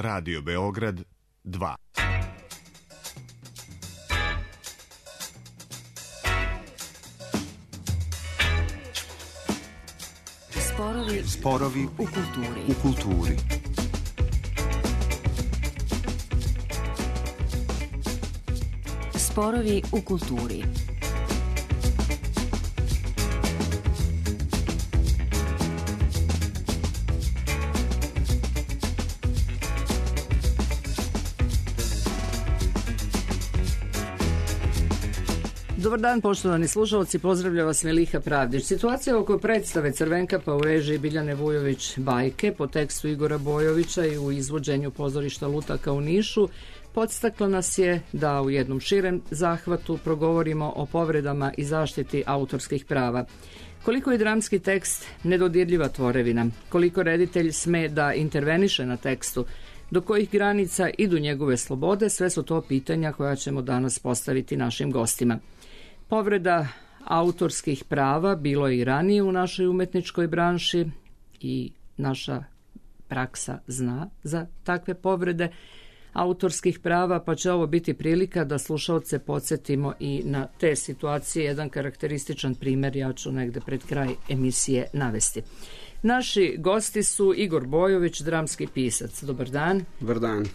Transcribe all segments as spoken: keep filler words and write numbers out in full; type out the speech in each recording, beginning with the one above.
Radio Beograd dva. Sporovi, Sporovi u kulturi. U kulturi. Sporovi u kulturi. Dobar dan, poštovani slušalci, pozdravlja vas Meliha Pravdić. Situacija oko predstave Crvenkapa u režiji Biljane Vujović Bajke po tekstu Igora Bojovića i u izvođenju pozorišta Lutaka u Nišu podstakla nas je da u jednom širem zahvatu progovorimo o povredama i zaštiti autorskih prava. Koliko je dramski tekst nedodirljiva tvorevina, koliko reditelj sme da interveniše na tekstu, do kojih granica idu njegove slobode, sve su to pitanja koja ćemo danas postaviti našim gostima. Povreda autorskih prava bilo je i ranije u našoj umetničkoj branši i naša praksa zna za takve povrede autorskih prava, pa će ovo biti prilika da slušalce podsjetimo i na te situacije. Jedan karakterističan primjer ja ću negde pred kraj emisije navesti. Naši gosti su Igor Bojović, dramski pisac. Dobar dan. Dobar dan.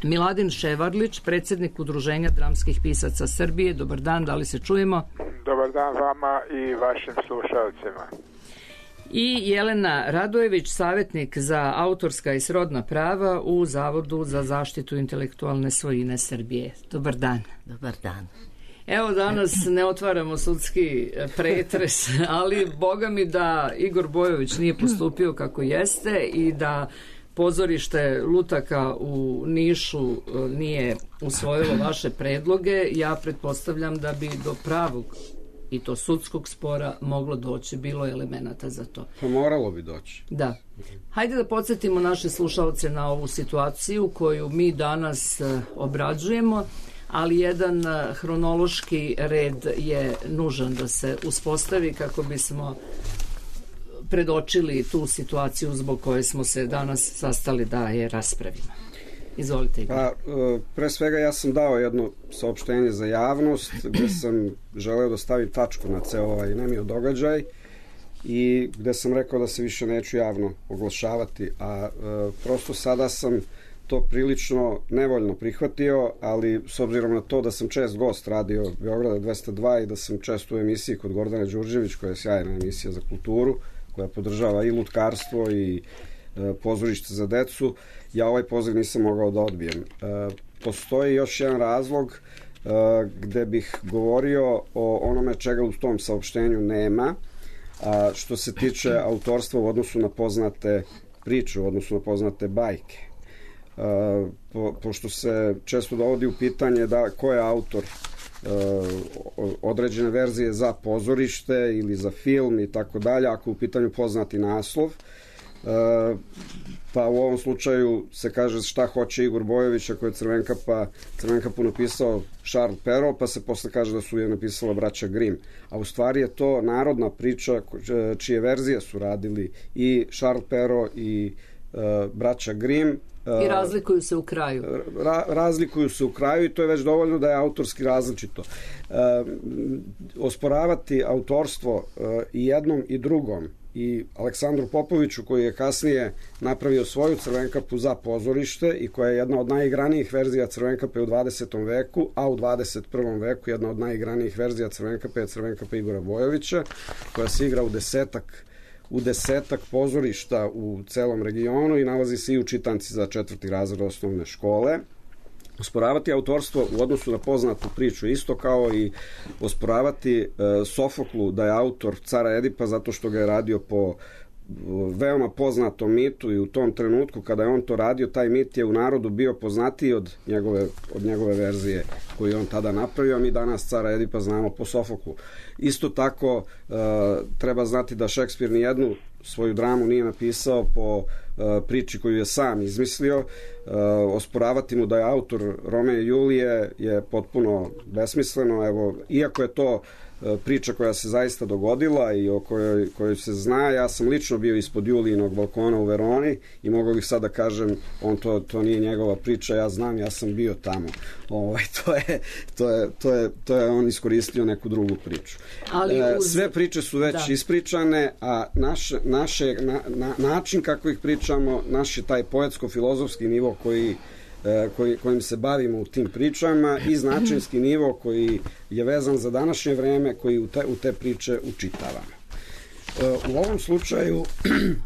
Miladin Ševarlić, predsjednik Udruženja dramskih pisaca Srbije. Dobar dan, da li se čujemo? Dobar dan vama i vašim slušalcima. I Jelena Radojević, savjetnik za autorska i srodna prava u Zavodu za zaštitu intelektualne svojine Srbije. Dobar dan. Dobar dan. Evo, danas ne otvaramo sudski pretres, ali boga mi da Igor Bojović nije postupio kako jeste i da pozorište Lutaka u Nišu nije usvojilo vaše predloge, ja pretpostavljam da bi do pravog i to sudskog spora moglo doći, bilo je elemenata za to. Pa moralo bi doći. Da. Hajde da podsjetimo naše slušalce na ovu situaciju koju mi danas obrađujemo, ali jedan hronološki red je nužan da se uspostavi kako bismo predočili tu situaciju zbog koje smo se danas sastali da je raspravimo. Izvolite, Igor. Pa, pre svega ja sam dao jedno saopštenje za javnost gde sam želeo da stavim tačku na ceo ovaj nemio događaj i gde sam rekao da se više neću javno oglašavati, a e, prosto sada sam to prilično nevoljno prihvatio, ali s obzirom na to da sam čest gost radio Beograda dvesta dva i da sam često u emisiji kod Gordane Đurđević, koja je sjajna emisija za kulturu, koja podržava i lutkarstvo i e, pozorište za decu, ja ovaj poziv nisam mogao da odbijem. E, postoji još jedan razlog e, gde bih govorio o onome čega u tom saopštenju nema, a što se tiče autorstva u odnosu na poznate priče, u odnosu na poznate bajke. Uh, po, pošto se često dovodi u pitanje da ko je autor uh, određene verzije za pozorište ili za film i tako dalje, ako u pitanju poznati naslov, uh, pa u ovom slučaju se kaže šta hoće Igor Bojović ako je Crvenkapa, Crvenkapu napisao Charles Perrault, pa se posle kaže da su je napisala braća Grimm, a u stvari je to narodna priča čije verzije su radili i Charles Perrault i uh, braća Grimm. I razlikuju se u kraju. Ra, razlikuju se u kraju i to je već dovoljno da je autorski različito. E, osporavati autorstvo e, i jednom i drugom i Aleksandru Popoviću koji je kasnije napravio svoju Crvenkapu za pozorište i koja je jedna od najigranijih verzija Crvenkape u dvadesetom veku, a u dvadeset prvom veku jedna od najigranijih verzija Crvenkape je Crvenkapa Igora Bojovića, koja se igra u desetak u desetak pozorišta u celom regionu i nalazi se i u čitanci za četvrti razred osnovne škole. Osporavati autorstvo u odnosu na poznatu priču isto kao i osporavati e, Sofoklu da je autor Cara Edipa zato što ga je radio po veoma poznatom mitu i u tom trenutku kada je on to radio, taj mit je u narodu bio poznatiji od njegove, od njegove verzije koju je on tada napravio, a mi danas Cara Edipa znamo po Sofoklu. Isto tako e, treba znati da Šekspir nijednu svoju dramu nije napisao po e, priči koju je sam izmislio. E, osporavati mu da je autor Romea i Julije je potpuno besmisleno. Evo, iako je to priča koja se zaista dogodila i o kojoj, kojoj se zna. Ja sam lično bio ispod Julijinog balkona u Veroni i mogu bih sad da kažem, on to, to nije njegova priča, ja znam, ja sam bio tamo. Ovaj, to, je, to, je, to, je, to je on iskoristio neku drugu priču. Ali uz... Sve priče su već da. ispričane, a naš, naše, na, na, način kako ih pričamo, naš je taj poetsko-filozofski nivo koji Koji, kojim se bavimo u tim pričama i značinski nivo koji je vezan za današnje vreme, koji u te, u te priče učitavamo. U ovom slučaju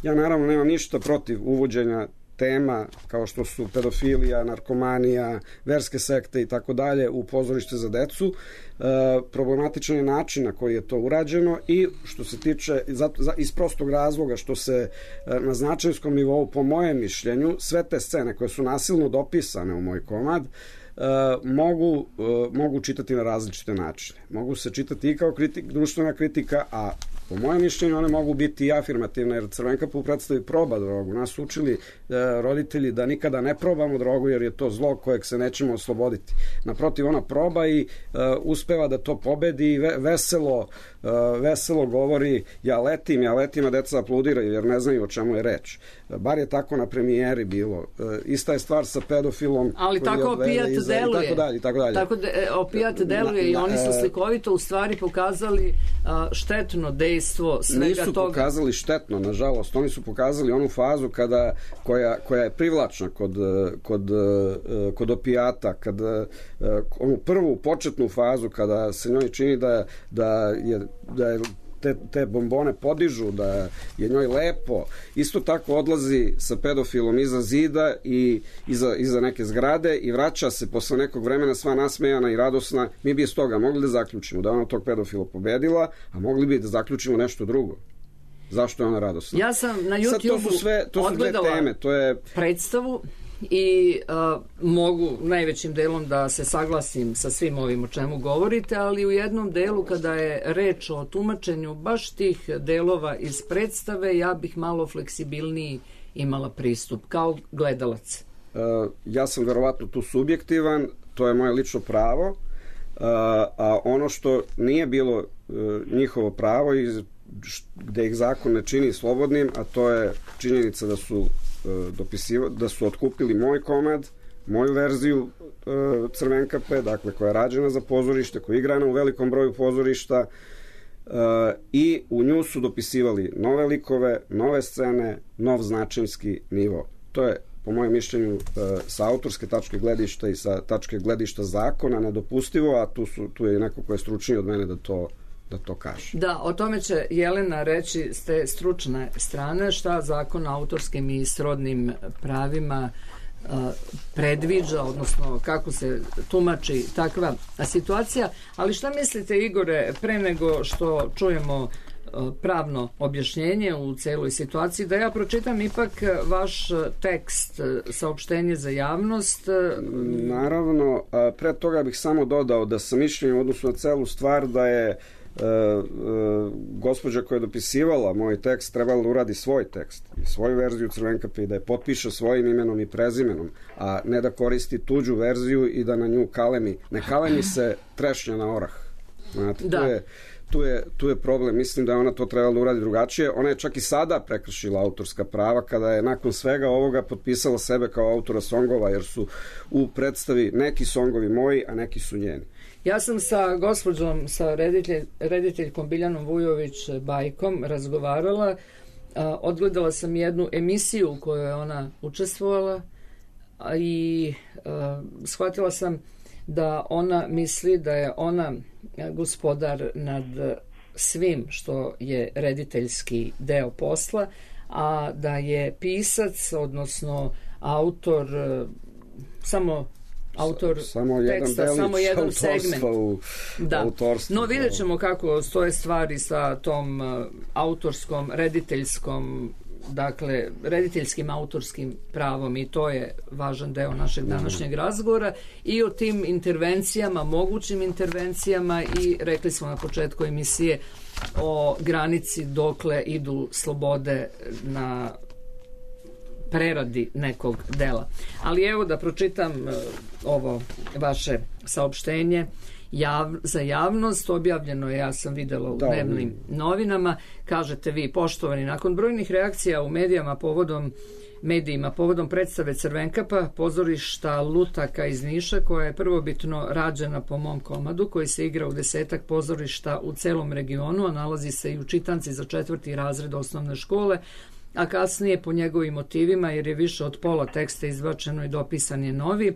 ja naravno nemam ništa protiv uvođenja tema kao što su pedofilija, narkomanija, verske sekte i tako dalje u pozorište za decu. E, problematičan je način na koji je to urađeno i što se tiče za, za, iz prostog razloga što se e, na značinskom nivou, po mojem mišljenju, sve te scene koje su nasilno dopisane u moj komad Uh, mogu, uh, mogu čitati na različite načine. Mogu se čitati i kao kritik, društvena kritika, a po mojem mišljenju one mogu biti i afirmativne, jer Crvenkapa u predstavi proba drogu. Nas su učili uh, roditelji da nikada ne probamo drogu, jer je to zlo kojeg se nećemo osloboditi. Naprotiv, ona proba i uh, uspeva da to pobedi i ve, veselo, uh, veselo govori ja letim, ja letim, a deca apludiraju jer ne znaju o čemu je reč. Bar je tako na premijeri bilo. Uh, ista je stvar sa pedofilom. Ali tako opijat deluje. I tako dalje, i tako dalje. Tako de, opijat deluje na, i oni su slikovito u stvari pokazali uh, štetno dejstvo svega nisu toga. Nisu pokazali štetno, nažalost. Oni su pokazali onu fazu kada, koja, koja je privlačna kod, kod, kod opijata, kada, onu prvu početnu fazu kada se njoj čini da, da je, da je Te, te bombone podižu, da je njoj lepo. Isto tako odlazi sa pedofilom iza zida i iza, iza neke zgrade i vraća se posle nekog vremena sva nasmejana i radosna. Mi bi iz toga mogli da zaključimo da ona tog pedofila pobedila, a mogli bi da zaključimo nešto drugo. Zašto je ona radosna? Ja sam na YouTube-u odgledala teme, to je predstavu i uh, mogu najvećim delom da se saglasim sa svim ovim o čemu govorite, ali u jednom delu kada je reč o tumačenju baš tih delova iz predstave, ja bih malo fleksibilniji imala pristup kao gledalac. Uh, ja sam verovatno tu subjektivan, to je moje lično pravo, uh, a ono što nije bilo uh, njihovo pravo i gde ih zakon ne čini slobodnim, a to je činjenica da su dopisiva, da su otkupili moj komad, moju verziju e, Crvenkape, dakle koja je rađena za pozorište, koja je igrana u velikom broju pozorišta e, i u nju su dopisivali nove likove, nove scene, nov značinski nivo. To je po mojem mišljenju e, sa autorske tačke gledišta i sa tačke gledišta zakona nedopustivo, a tu, su, tu je neko ko je stručniji od mene da to da to kaže. Da, o tome će Jelena reći s te stručne strane šta zakon o autorskim i srodnim pravima uh, predviđa, odnosno kako se tumači takva situacija. Ali šta mislite, Igore, pre nego što čujemo uh, pravno objašnjenje u celoj situaciji, da ja pročitam ipak vaš tekst, saopštenje za javnost? Naravno, pre toga bih samo dodao da sam mišljenju odnosno na celu stvar da je Uh, uh, gospođa koja je dopisivala moj tekst trebala da uradi svoj tekst i svoju verziju Crvenkape i da je potpiše svojim imenom i prezimenom, a ne da koristi tuđu verziju i da na nju kalemi. Ne kalemi se trešnja na orah. Znate, da. tu je Tu je, tu je problem. Mislim da je ona to trebala da uradi drugačije. Ona je čak i sada prekršila autorska prava kada je nakon svega ovoga potpisala sebe kao autora songova, jer su u predstavi neki songovi moji, a neki su njeni. Ja sam sa gospođom, sa reditelj, rediteljkom Biljanom Vujović Bajkom razgovarala. A, odgledala sam jednu emisiju u kojoj je ona učestvovala a, i a, shvatila sam da ona misli da je ona gospodar nad svim što je rediteljski deo posla, a da je pisac, odnosno autor, samo autor samo teksta, jedan samo jedan segment. U, da. autorstvu. No vidjet ćemo kako stoje stvari sa tom autorskom, rediteljskom, dakle, rediteljskim autorskim pravom, i to je važan deo našeg današnjeg razgovora, i o tim intervencijama, mogućim intervencijama, i rekli smo na početku emisije o granici dokle idu slobode na preradi nekog dela. Ali evo da pročitam ovo vaše saopštenje jav, za javnost. Objavljeno je, ja sam videla u Da, dnevnim novinama. Kažete vi, poštovani, nakon brojnih reakcija u medijama povodom medijima povodom predstave Crvenkapa, pozorišta Lutaka iz Niša, koja je prvobitno rađena po mom komadu, koji se igra u desetak pozorišta u celom regionu, a nalazi se i u čitanci za četvrti razred osnovne škole, a kasnije po njegovim motivima, jer je više od pola teksta izbačeno i dopisan je novi,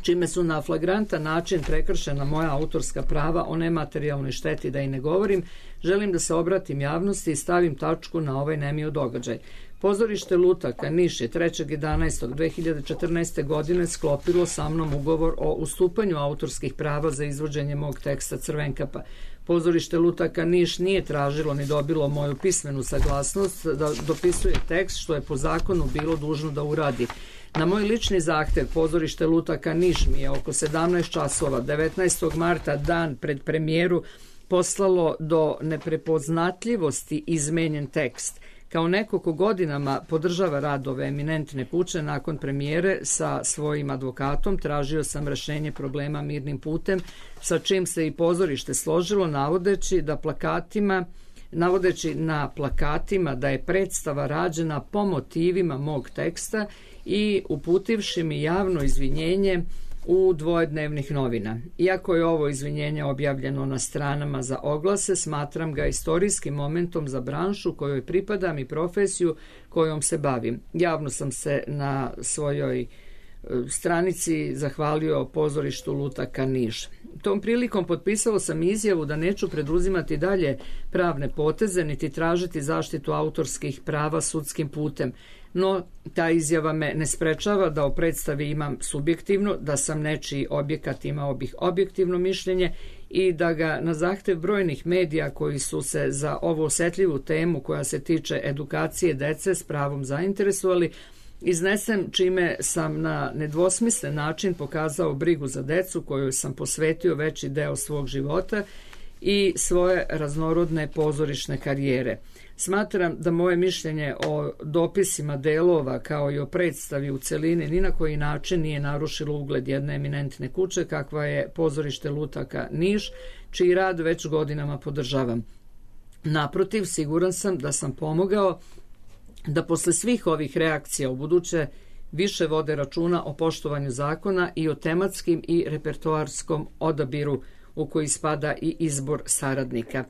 čime su na flagrantan način prekršena moja autorska prava o nematerijalnoj šteti, da i ne govorim, želim da se obratim javnosti i stavim tačku na ovaj nemio događaj. Pozorište Lutaka Niš je trećeg jedanaestog dve hiljade četrnaeste. godine sklopilo sa mnom ugovor o ustupanju autorskih prava za izvođenje mog teksta Crvenkapa. Pozorište Lutaka Niš nije tražilo ni dobilo moju pismenu saglasnost da dopisuje tekst, što je po zakonu bilo dužno da uradi. Na moj lični zahtev pozorište Lutaka Niš mi je oko sedamnaest časova devetnaestog marta, dan pred premijeru, poslalo do neprepoznatljivosti izmenjen tekst. Kao neko ko godinama podržava rad ove eminentne kuće, nakon premijere sa svojim advokatom tražio sam rešenje problema mirnim putem, sa čim se i pozorište složilo, navodeći da plakatima navodeći na plakatima da je predstava rađena po motivima mog teksta i uputivši mi javno izvinjenje u dvojednevnih novina. Iako je ovo izvinjenje objavljeno na stranama za oglase, smatram ga istorijskim momentom za branšu kojoj pripadam i profesiju kojom se bavim. Javno sam se na svojoj stranici zahvalio pozorištu Lutaka Niš. Tom prilikom potpisao sam izjavu da neću preduzimati dalje pravne poteze niti tražiti zaštitu autorskih prava sudskim putem, no ta izjava me ne sprečava da o predstavi imam subjektivno, da sam nečiji objekat imao bih objektivno mišljenje i da ga na zahtev brojnih medija koji su se za ovu osetljivu temu koja se tiče edukacije dece s pravom zainteresovali, iznesem, čime sam na nedvosmislen način pokazao brigu za decu kojoj sam posvetio veći deo svog života i svoje raznorodne pozorišne karijere. Smatram da moje mišljenje o dopisima delova kao i o predstavi u celini ni na koji način nije narušilo ugled jedne eminentne kuće kakva je pozorište Lutaka Niš, čiji rad već godinama podržavam. Naprotiv, siguran sam da sam pomogao da posle svih ovih reakcija u buduće više vode računa o poštovanju zakona i o tematskim i repertoarskom odabiru u koji spada i izbor saradnika.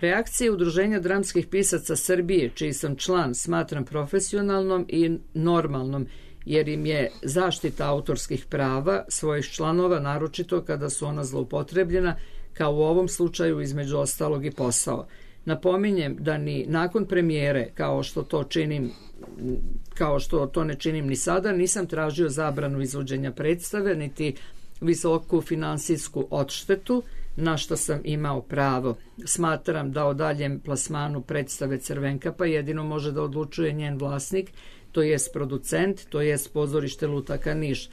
Reakcije Udruženja dramskih pisaca Srbije, čiji sam član, smatram profesionalnom i normalnom, jer im je zaštita autorskih prava svojih članova, naročito kada su ona zloupotrebljena, kao u ovom slučaju između ostalog i posao. Napominjem da ni nakon premijere, kao što to činim, kao što to ne činim ni sada, nisam tražio zabranu izvođenja predstave, niti visoku finansijsku odštetu, na što sam imao pravo. Smatram da o daljem plasmanu predstave Crvenkapa jedino može da odlučuje njen vlasnik, to jest producent, to jest pozorište Lutaka Niš.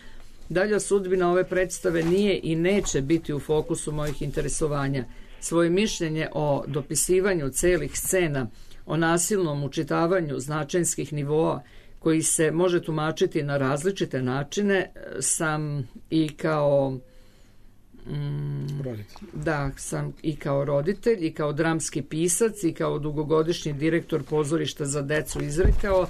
Dalja sudbina ove predstave nije i neće biti u fokusu mojih interesovanja. Svoje mišljenje o dopisivanju celih scena, o nasilnom učitavanju značenskih nivoa, koji se može tumačiti na različite načine, sam i kao mm, da, sam i kao roditelj i kao dramski pisac i kao dugogodišnji direktor pozorišta za decu izrekao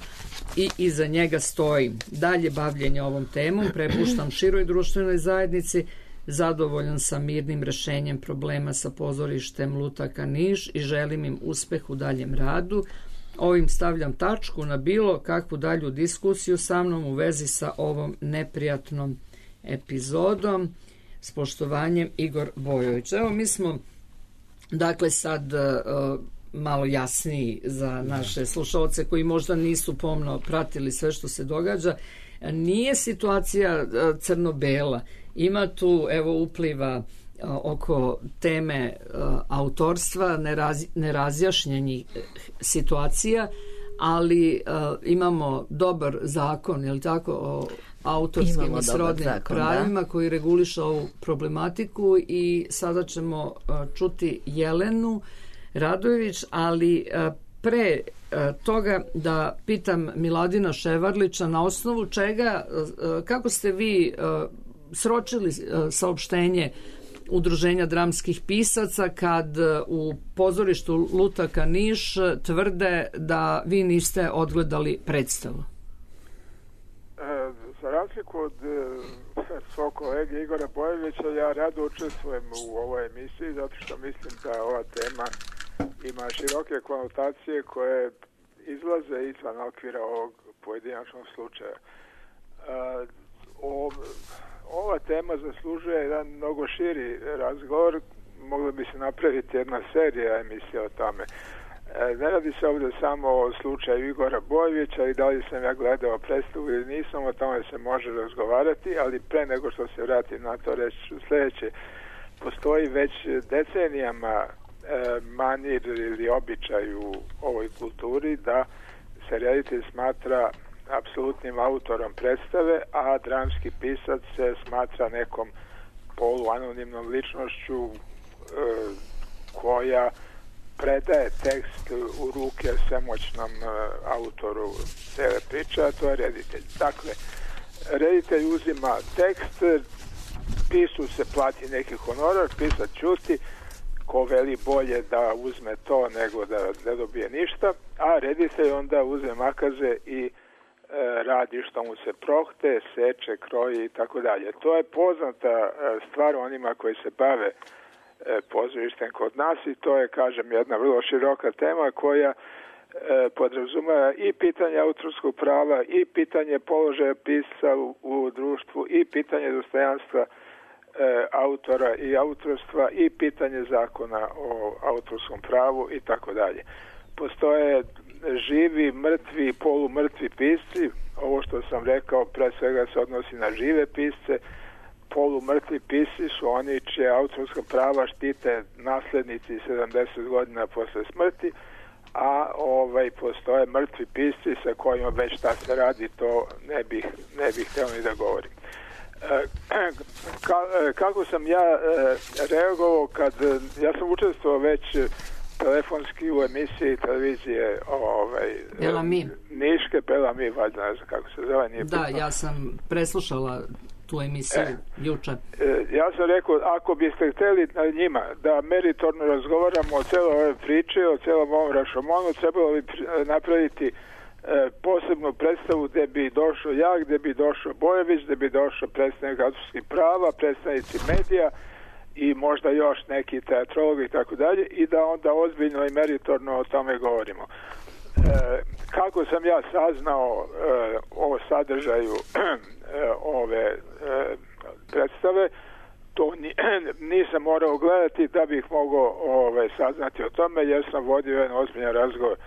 i iza njega stojim. Dalje bavljenje ovom temom prepuštam široj društvenoj zajednici. Zadovoljan sam mirnim rešenjem problema sa pozorištem Lutaka Niš i želim im uspeh u daljem radu. Ovim stavljam tačku na bilo kakvu dalju diskusiju sa mnom u vezi sa ovom neprijatnom epizodom. S poštovanjem, Igor Bojović. Evo, mi smo dakle sad uh, malo jasniji za naše slušalce koji možda nisu pomno pratili sve što se događa. Nije situacija uh, crno-bela. Ima tu, evo, upliva uh, oko teme uh, autorstva, neraz, nerazjašnjenih situacija, ali uh, imamo dobar zakon, je li tako, o autorskim imamo i srodnim zakon, pravima, da, koji reguliše ovu problematiku i sada ćemo uh, čuti Jelenu Radojević, ali uh, pre uh, toga da pitam Miladina Ševarlića na osnovu čega, uh, kako ste vi uh, sročili uh, saopštenje Udruženja dramskih pisaca kad u pozorištu Lutaka Niš tvrde da vi niste odgledali predstavu? E, za razliku od e, svog kolege Igora Bojovića, ja rado učestvujem u ovoj emisiji zato što mislim da ova tema ima široke konotacije koje izlaze izvan okvira ovog pojedinačnog slučaja. E, o, ova tema zaslužuje jedan mnogo širi razgovor, mogla bi se napraviti jedna serija emisija o tome. E, ne radi se ovdje samo o slučaju Igora Bojovića i da li sam ja gledao predstavu ili nisam, o tome se može razgovarati, ali pre nego što se vratim na to reći sljedeće. Postoji već decenijama e, manir ili običaj u ovoj kulturi da se reditelj smatra apsolutnim autorom predstave, a dramski pisac se smatra nekom poluanonimnom ličnošću e, koja predaje tekst u ruke svemoćnom e, autoru cele priče, a to je reditelj. Dakle, reditelj uzima tekst, pisu se plati neki honorar, pisac ćuti, ko veli bolje da uzme to nego da ne dobije ništa, a reditelj onda uzme makaze i radi što mu se prohte, seče, kroji i tako dalje. To je poznata stvar onima koji se bave pozorištem kod nas i to je, kažem, jedna vrlo široka tema koja podrazumeva i pitanje autorskog prava i pitanje položaja pisca u, u društvu i pitanje dostojanstva autora i autorstva i pitanje zakona o autorskom pravu i tako dalje. Postoje živi, mrtvi, polumrtvi pisci. Ovo što sam rekao pre svega se odnosi na žive pisce. Polumrtvi pisci su oni čije autorska prava štite naslednici sedamdeset godina posle smrti, a ovaj postoje mrtvi pisci sa kojima već šta se radi, to ne bih, ne bih htio ni da govorim. Ka, kako sam ja reagovao kad ja sam učestvovao već telefonski u emisiji televizije ovaj, Belami. Niške, Belami, valjda ne znam kako se zove. Nije da, pitno. Ja sam preslušala tu emisiju e, juče. E, ja sam rekao, ako biste htjeli na njima da meritorno razgovaramo o celoj ove priče, o celom ovom rašomonu, trebalo bi napraviti e, posebnu predstavu gdje bi došao ja, gdje bi došao Bojović, gdje bi došao predstavnik autorskih prava, predstavnici medija i možda još neki teatrologi i tako dalje, i da onda ozbiljno i meritorno o tome govorimo. E, kako sam ja saznao e, o sadržaju e, ove e, predstave, to ni, nisam morao gledati da bih mogao ove, saznati o tome, jer sam vodio jedan ozbiljan razgovor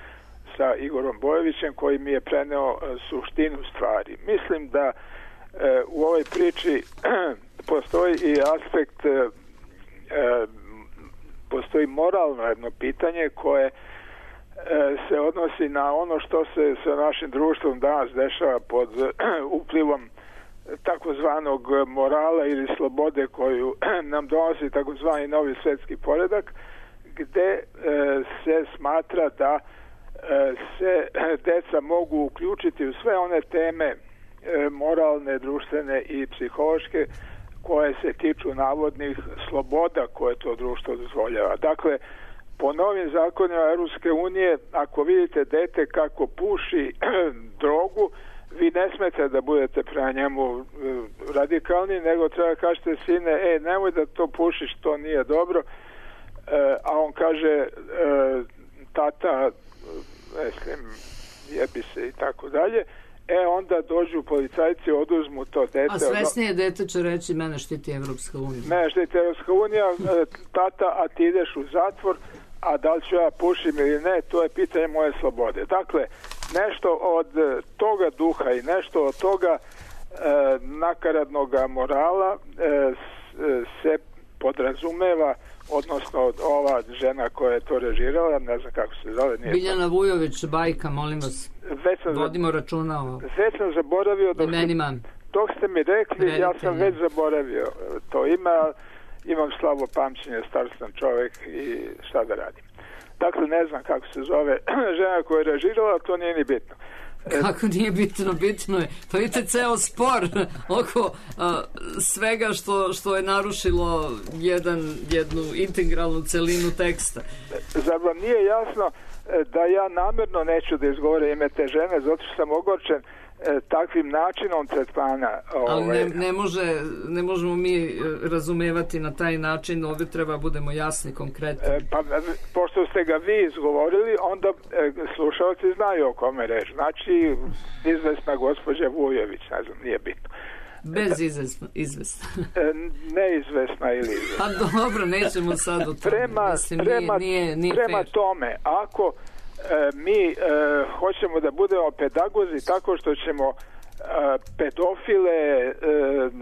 sa Igorom Bojovićem koji mi je preneo e, suštinu stvari. Mislim da e, u ovoj priči postoji i aspekt e, E, postoji moralno jedno pitanje koje e, se odnosi na ono što se sa našim društvom danas dešava pod uplivom takozvanog morala ili slobode koju nam donosi takozvani novi svjetski poredak, gde e, se smatra da e, se deca mogu uključiti u sve one teme e, moralne, društvene i psihološke koje se tiču navodnih sloboda koje to društvo dozvoljava. Dakle, po novim zakonima Europske unije, ako vidite dete kako puši drogu, vi ne smete da budete prema njemu radikalni, nego treba kažete sine, e, nemoj da to pušiš, to nije dobro, e, a on kaže, e, tata, mislim, jebi se i tako dalje. E, onda dođu policajci, oduzmu to dete. A svesnije dete će reći, mene štiti Evropska unija. Mene štiti Evropska unija, tata, a ti ideš u zatvor, a da li ću ja pušim ili ne, to je pitanje moje slobode. Dakle, nešto od toga duha i nešto od toga e, nakaradnog morala e, se podrazumeva, odnosno ova žena koja je to režirala, ne znam kako se zove. Nije Biljana to. Vujović, bajka, molim vas. Vodimo računa o već sam zaboravio dok, imenima. Dok ste mi rekli, Reditelj, ja sam već zaboravio to ime, imam slabo pamćenje, star sam čovjek i šta da radim. Dakle, ne znam kako se zove žena koja je režirala, to nije ni bitno. Kako nije bitno? Bitno je. Pa vidite ceo spor oko a, svega što, što je narušilo jedan, jednu integralnu celinu teksta. Zar vam nije jasno da ja namjerno neću da izgovorim ime te žene, zato što sam ogorčen e, takvim načinom tretmana. Ali ovaj. ne, ne, može, ne možemo mi razumevati na taj način, ovdje treba budemo jasni, konkretni. E, pa, pošto ste ga vi izgovorili, onda e, slušalci znaju o kome reč. Znači, izvesna gospođa Vujović, ne znam, nije bitno. Bez izvesna, izvesna. E, neizvesna ili izvesna. Pa dobro, nećemo sad o tome. Prema, Mislim, prema, nije, nije, nije prema fair. tome, ako e, mi e, hoćemo da budemo pedagozi tako što ćemo e, pedofile e,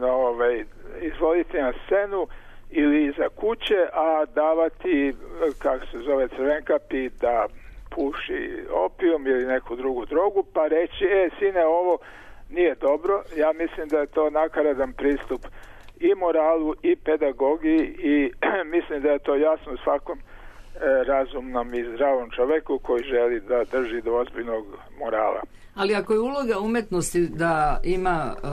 ovaj, izvoditi na scenu ili iza kuće, a davati, kako se zove, Crvenkapi da puši opijum ili neku drugu drogu, pa reći, e, sine, ovo nije dobro. Ja mislim da je to nakaradan pristup i moralu i pedagogiji i mislim da je to jasno svakom e, razumnom i zdravom čoveku koji želi da drži do ozbiljnog morala. Ali ako je uloga umetnosti da ima uh,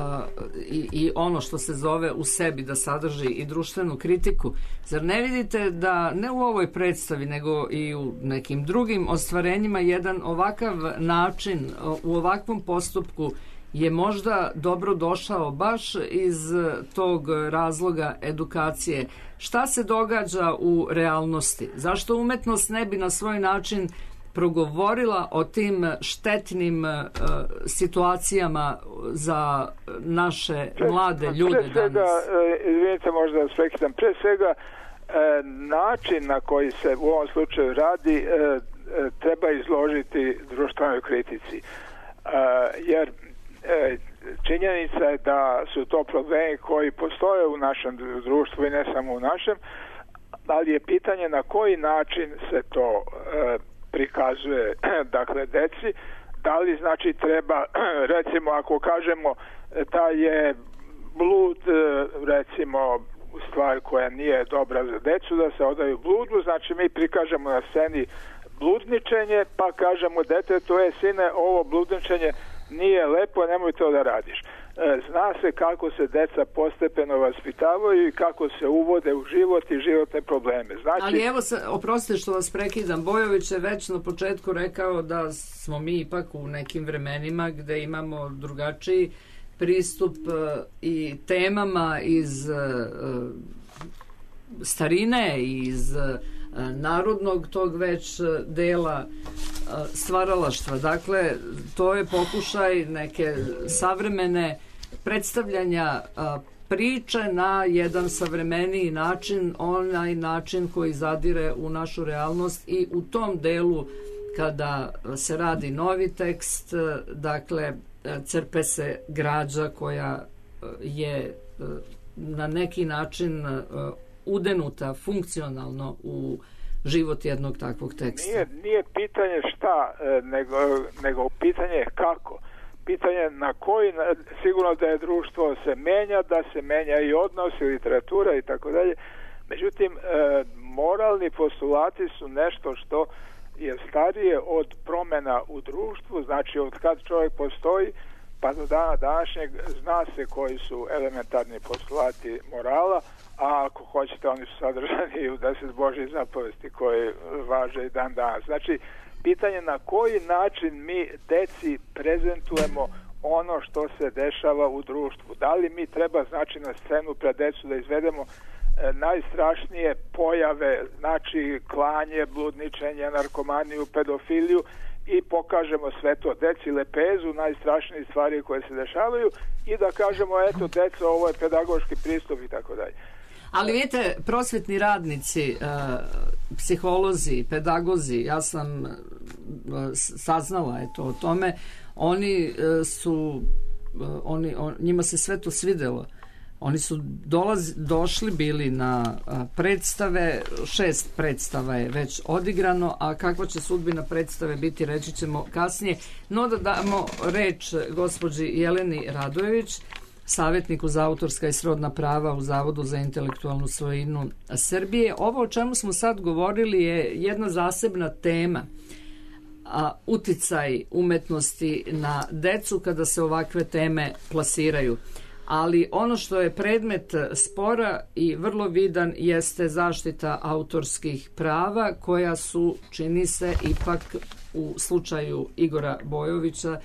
i, i ono što se zove u sebi, da sadrži i društvenu kritiku, zar ne vidite da ne u ovoj predstavi nego i u nekim drugim ostvarenjima jedan ovakav način u ovakvom postupku je možda dobro došao baš iz tog razloga edukacije? Šta se događa u realnosti? Zašto umetnost ne bi na svoj način progovorila o tim štetnim uh, situacijama za naše pre, mlade ljude pre svega, danas? Izvinite, možda da prekidam. Pre svega, način na koji se u ovom slučaju radi treba izložiti društvenoj kritici. Jer činjenica je da su to problemi koji postoje u našem društvu i ne samo u našem, ali je pitanje na koji način se to prikazuje, dakle, deci. Da li znači treba, recimo, ako kažemo da je blud, recimo, stvar koja nije dobra za decu, da se odaju bludu, znači mi prikažemo na sceni bludničenje, pa kažemo detetu, e, sine, ovo bludničenje nije lepo, nemoj to da radiš. Zna se kako se deca postepeno vaspitavaju i kako se uvode u život i životne probleme. Znači, ali evo, oprostite što vas prekidam, Bojović je već na početku rekao da smo mi ipak u nekim vremenima gde imamo drugačiji pristup uh, i temama iz uh, starine, iz uh, narodnog tog već uh, dela uh, stvaralaštva. Dakle, to je pokušaj neke savremene predstavljanja uh, priče na jedan savremeniji način, onaj način koji zadire u našu realnost i u tom delu kada se radi novi tekst, uh, dakle, crpe se građa koja je na neki način udenuta funkcionalno u život jednog takvog teksta. Nije, nije pitanje šta, nego, nego pitanje kako. Pitanje na koji, sigurno da je društvo se menja, da se menja i odnos i literatura i tako dalje. Međutim, moralni postulati su nešto što je starije od promjena u društvu, znači od kad čovjek postoji pa do dana današnjeg zna se koji su elementarni postulati morala, a ako hoćete oni su sadržani u deset Božjih zapovesti koje važe i dan danas. Znači, pitanje na koji način mi deci prezentujemo ono što se dešava u društvu. Da li mi treba, znači, na scenu pred decu da izvedemo najstrašnije pojave, znači klanje, bludničenje, narkomaniju, pedofiliju i pokažemo sve to deci, lepezu, najstrašnije stvari koje se dešavaju i da kažemo, eto, deco, ovo je pedagoški pristup i tako dalje. Ali vidite, prosvetni radnici, psiholozi, pedagozi, ja sam saznala eto o tome, oni su, oni, on, njima se sve to svidelo. Oni su dolaz, došli bili na a, predstave, šest predstava je već odigrano, a kakva će sudbina predstave biti, reći ćemo kasnije. No da damo reč gospođi Jeleni Radojević, savjetniku za autorska i srodna prava u Zavodu za intelektualnu svojinu Srbije. Ovo o čemu smo sad govorili je jedna zasebna tema. a, uticaj umetnosti na decu kada se ovakve teme plasiraju. Ali ono što je predmet spora i vrlo vidan jeste zaštita autorskih prava koja su, čini se, ipak u slučaju Igora Bojovića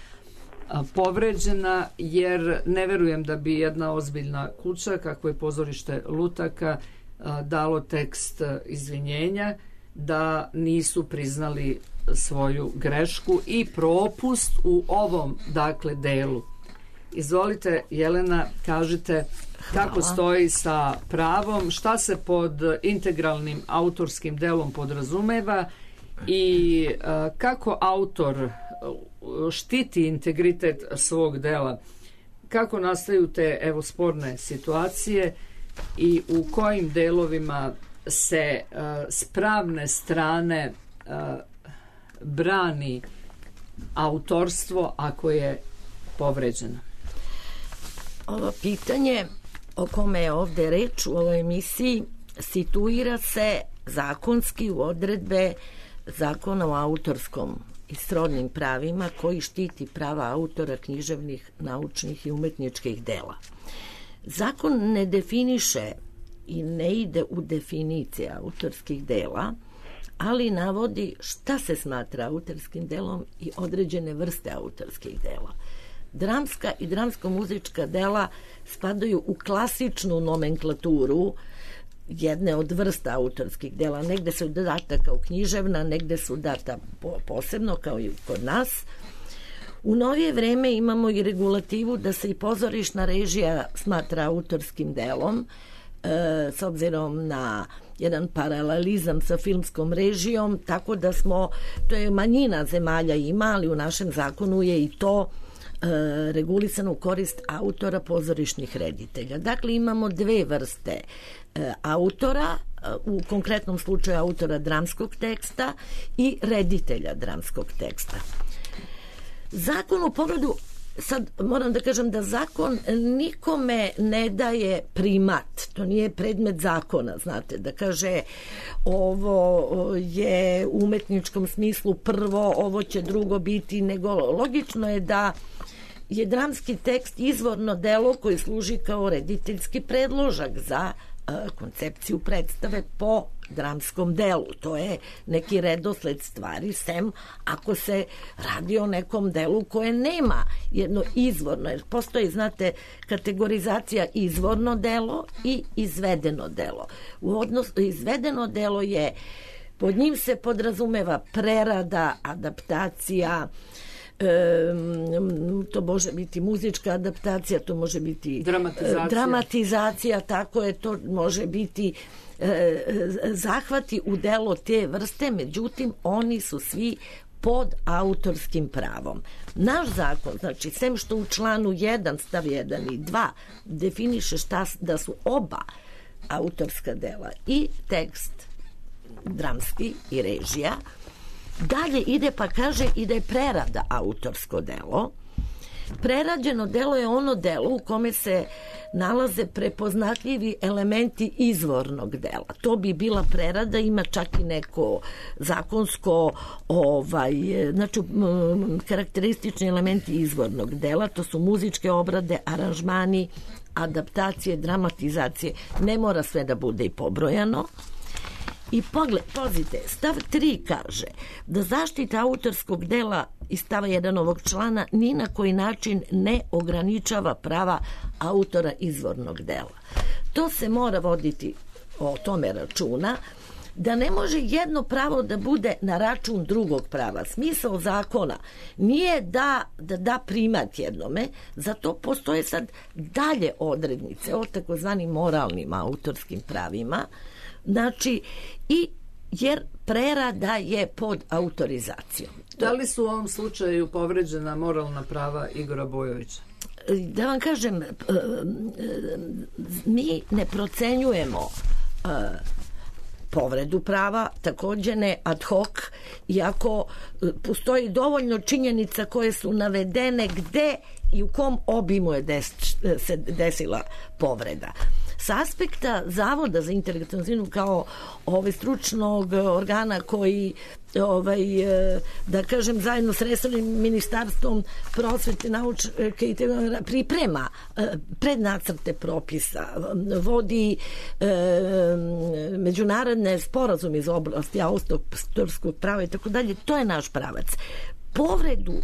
povređena, jer ne verujem da bi jedna ozbiljna kuća, kako je pozorište Lutaka, dalo tekst izvinjenja, da nisu priznali svoju grešku i propust u ovom, dakle, delu. Izvolite, Jelena, kažite kako Hvala. Stoji sa pravom, šta se pod integralnim autorskim delom podrazumeva i a, kako autor štiti integritet svog dela, kako nastaju te, evo, sporne situacije i u kojim delovima se a, s pravne strane a, brani autorstvo ako je povređeno. Ovo pitanje o kome je ovde reč u ovoj emisiji situira se zakonski u odredbe Zakona o autorskom i srodnim pravima koji štiti prava autora književnih, naučnih i umetničkih dela. Zakon ne definiše i ne ide u definicije autorskih dela, ali navodi šta se smatra autorskim delom i određene vrste autorskih dela. Dramska i dramsko-muzička dela spadaju u klasičnu nomenklaturu jedne od vrsta autorskih dela. Negde su data kao književna, negde su data posebno kao i kod nas. U novije vreme imamo i regulativu da se i pozorišna režija smatra autorskim delom, e, s obzirom na jedan paralelizam sa filmskom režijom, tako da smo, to je manjina zemalja ima, ali u našem zakonu je i to e, regulisano u korist autora pozorišnih reditelja. Dakle, imamo dve vrste e, autora, u konkretnom slučaju autora dramskog teksta i reditelja dramskog teksta. Zakon u pogledu, sad moram da kažem da zakon nikome ne daje primat, to nije predmet zakona, znate, da kaže ovo je u umetničkom smislu prvo, ovo će drugo biti, nego logično je da je dramski tekst izvorno delo koji služi kao rediteljski predložak za koncepciju predstave po dramskom delu. To je neki redosled stvari, sem ako se radi o nekom delu koje nema jedno izvorno, jer postoji, znate, kategorizacija izvorno delo i izvedeno delo. U odnosu, izvedeno delo je, pod njim se podrazumeva prerada, adaptacija, E, to može biti muzička adaptacija, to može biti dramatizacija, dramatizacija tako je, to može biti e, zahvati u delo te vrste, međutim oni su svi pod autorskim pravom. Naš zakon, znači, sem što u članu jedan stav jedan i dva definiše šta, da su oba autorska dela, i tekst dramski i režija, dalje ide pa kaže i da je prerada autorsko delo. Prerađeno delo je ono delo u kome se nalaze prepoznatljivi elementi izvornog dela. To bi bila prerada, ima čak i neko zakonsko ovaj, znači karakteristični elementi izvornog dela, to su muzičke obrade, aranžmani, adaptacije, dramatizacije. Ne mora sve da bude i pobrojano. I pogled, pazite, stav tri kaže da zaštita autorskog dela iz stava jedan ovog člana ni na koji način ne ograničava prava autora izvornog dela. To se mora voditi o tome računa, da ne može jedno pravo da bude na račun drugog prava. Smisao zakona nije da da, da primat jednome, zato postoje sad dalje odrednice o takozvanim moralnim autorskim pravima. Znači, i jer prerada je pod autorizacijom. Da li su u ovom slučaju povređena moralna prava Igora Bojovića? Da vam kažem, mi ne procenjujemo povredu prava, takođe ne ad hoc, iako postoji dovoljno činjenica koje su navedene gde i u kom obimu je des, se desila povreda. s aspekta Zavoda za intelektualnu svojinu kao ovaj stručnog organa koji ovaj, da kažem, zajedno s resornim ministarstvom prosvete, nauke i priprema prednacrte propisa, vodi e, međunarodne sporazume iz oblasti autorskog prava i tako dalje. To je naš pravac. Povredu e,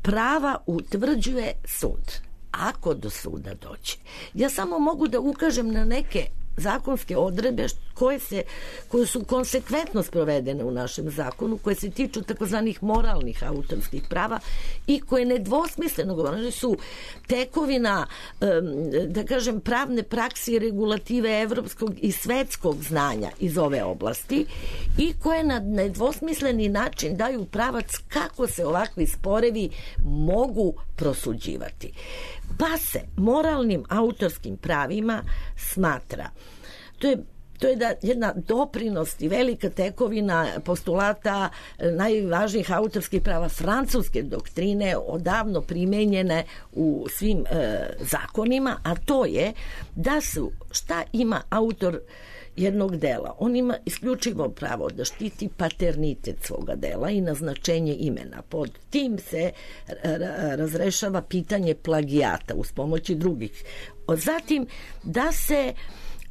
prava utvrđuje sud. Ako do suda dođe. Ja samo mogu da ukažem na neke zakonske odredbe koje, se, koje su konsekventno sprovedene u našem zakonu, koje se tiču takozvanih moralnih autorskih prava i koje nedvosmisleno govorene su tekovina, da kažem, pravne prakse i regulative evropskog i svetskog znanja iz ove oblasti i koje na nedvosmisleni način daju pravac kako se ovakvi sporevi mogu prosuđivati. Pa se moralnim autorskim pravima smatra, to je To je da jedna doprinost i velika tekovina postulata najvažnijih autorskih prava francuske doktrine, odavno primenjene u svim e, zakonima, a to je da su, šta ima autor jednog dela? On ima isključivo pravo da štiti paternitet svoga dela i naznačenje imena. Pod tim se razrešava pitanje plagijata uz pomoći drugih. Zatim, da se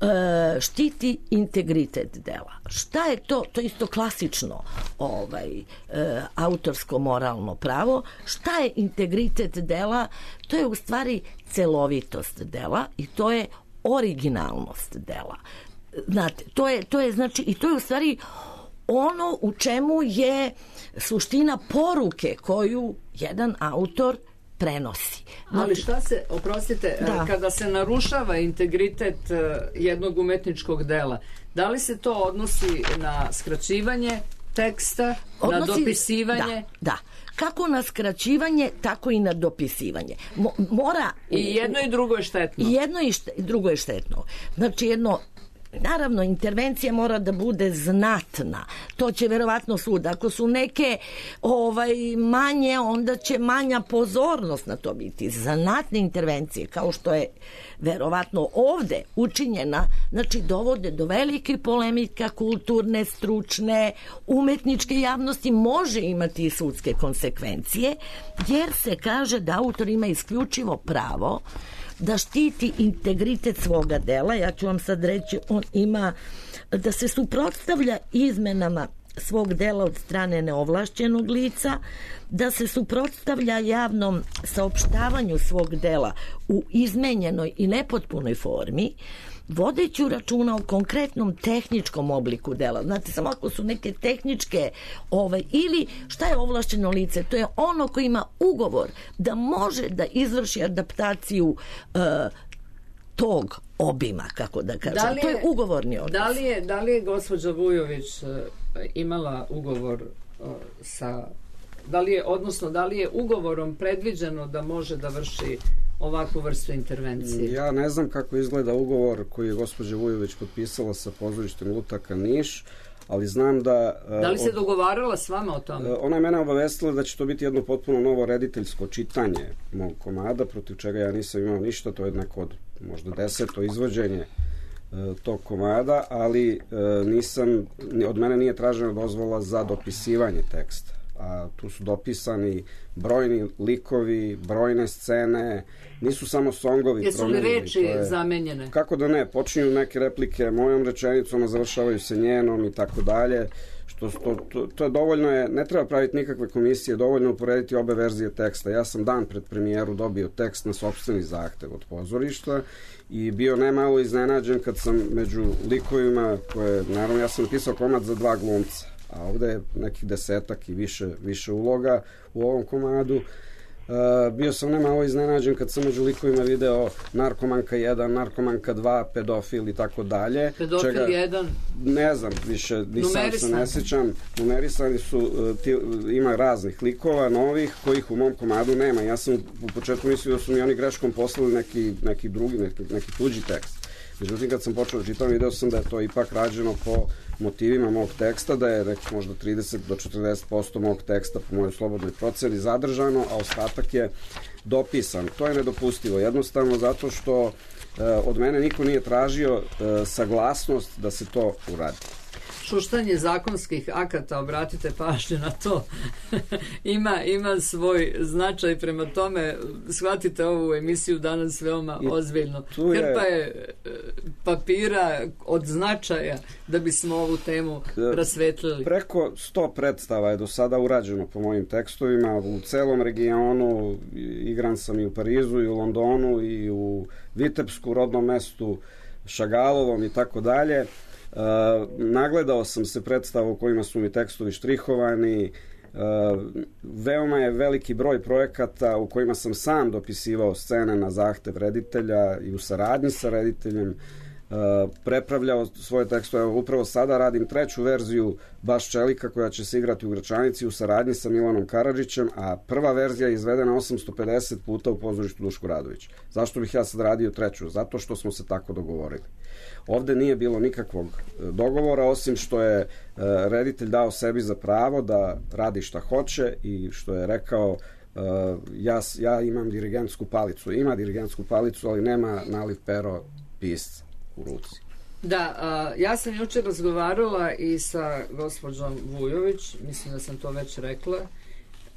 E, štiti integritet dela. Šta je to? To je isto klasično ovaj, e, autorsko moralno pravo. Šta je integritet dela? To je u stvari celovitost dela i to je originalnost dela. Znate, to je, to je znači i to je u stvari ono u čemu je suština poruke koju jedan autor prenosi. Ali šta se, oprostite, da. kada se narušava integritet jednog umetničkog dela, da li se to odnosi na skraćivanje teksta, odnosi, na dopisivanje? Da, da. Kako na skraćivanje, tako i na dopisivanje. Mo, mora... I jedno i drugo je štetno. I jedno i šte, drugo je štetno. Znači jedno... Naravno, intervencija mora da bude znatna. To će verovatno sud. Ako su neke ovaj, manje, onda će manja pozornost na to biti. Znatne intervencije, kao što je verovatno ovde učinjena, znači dovode do velike polemika kulturne, stručne, umetničke javnosti, može imati i sudske konsekvencije, jer se kaže da autor ima isključivo pravo da štiti integritet svoga dela. Ja ću vam sad reći, on ima da se suprotstavlja izmenama svog dela od strane neovlašćenog lica, da se suprotstavlja javnom saopštavanju svog dela u izmenjenoj i nepotpunoj formi, vodeći računa o konkretnom tehničkom obliku dela. Znate, samo ako su neke tehničke ovaj, ili šta je ovlašćeno lice? To je ono koji ima ugovor da može da izvrši adaptaciju uh, tog obima, kako da kažem. Da je, to je ugovorni odnos. Da li je, da li je gospođa Vujović uh, imala ugovor uh, sa... Da li je, odnosno, da li je ugovorom predviđeno da može da vrši ovakvu vrstu intervencije? Ja ne znam kako izgleda ugovor koji je gospođa Vujović potpisala sa pozorištem Lutaka Niš, ali znam da... Da li se od, dogovarala s vama o tome? Ona je mene obavestila da će to biti jedno potpuno novo rediteljsko čitanje mog komada, protiv čega ja nisam imao ništa, to je neko od možda deseto izvođenje tog komada, ali nisam, od mene nije tražena dozvola za dopisivanje teksta. A tu su dopisani brojni likovi, brojne scene, nisu samo songovi. Jesu li reči je, zamenjene? Kako da ne, počinju neke replike mojom rečenicom, a završavaju se njenom i tako dalje, što to, to, to je dovoljno je, ne treba praviti nikakve komisije, dovoljno uporediti obe verzije teksta. Ja sam dan pred premijeru dobio tekst na sopstveni zahtev od pozorišta i bio nemalo iznenađen kad sam među likovima, koje, naravno ja sam napisao komad za dva glumca, a ovde je nekih desetak i više, više uloga u ovom komadu. Uh, bio sam nemalo iznenađen kad sam među likovima video narkomanka jedan, narkomanka dva, pedofil i tako dalje. Pedofil čega, jedan? Ne znam, više nisam se ne sjećam. Numerisani su, uh, ti, ima raznih likova, novih, kojih u mom komadu nema. Ja sam u početku mislio da su mi oni greškom poslali neki, neki drugi, neki, neki tuđi tekst. Međutim, kad sam počeo da čitam, video sam da je to ipak rađeno po motivima mog teksta, da je reći možda trideset do četrdeset posto mog teksta po mojoj slobodnoj proceni zadržano, a ostatak je dopisan. To je nedopustivo, jednostavno zato što od mene niko nije tražio saglasnost da se to uradi. Šuštanje zakonskih akata, obratite pažnju na to, ima, ima svoj značaj, prema tome shvatite ovu emisiju danas veoma I ozbiljno. Hrpa je, je papira od značaja da bismo ovu temu rasvetlili. Preko sto predstava je do sada urađeno po mojim tekstovima u celom regionu, igran sam i u Parizu i u Londonu i u Vitebsku, rodnom mestu Šagalovom i tako dalje. Uh, nagledao sam se predstava u kojima su mi tekstovi štrihovani, uh, veoma je veliki broj projekata u kojima sam sam dopisivao scene na zahtev reditelja i u saradnji sa rediteljem, uh, prepravljao svoje tekstove. Upravo sada radim treću verziju Baš Čelika koja će se igrati u Gračanici u saradnji sa Milanom Karadžićem, a prva verzija je izvedena osamsto pedeset puta u pozorištu Duško Radović. Zašto bih ja sad radio treću? Zato što smo se tako dogovorili. Ovde nije bilo nikakvog dogovora, osim što je reditelj dao sebi za pravo da radi šta hoće i što je rekao ja, ja imam dirigentsku palicu. Ima dirigentsku palicu, ali nema naliv pero pisca u ruci. Da, a, ja sam jučer razgovarala i sa gospođom Vujović, mislim da sam to već rekla,